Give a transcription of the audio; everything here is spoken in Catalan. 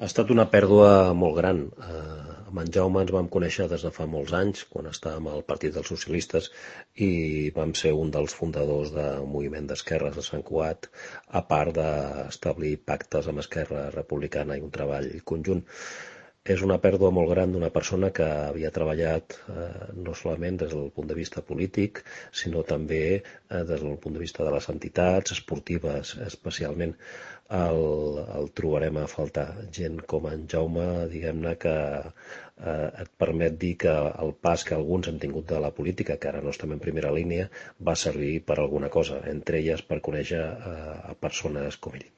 Ha estat una pèrdua molt gran. Amb en Jaume ens vam conèixer des de fa molts anys, quan estàvem al Partit dels Socialistes i vam ser un dels fundadors del moviment d'esquerres de Sant Cugat, a part d'establir pactes amb Esquerra Republicana i un treball conjunt. És una pèrdua molt gran d'una persona que havia treballat no solament des del punt de vista polític, sinó també des del punt de vista de les entitats esportives, especialment. El trobarem a faltar. Gent com en Jaume, diguem-ne, que et permet dir que el pas que alguns hem tingut de la política, que ara no estem en primera línia, va servir per alguna cosa, entre elles per conèixer a persones com ell.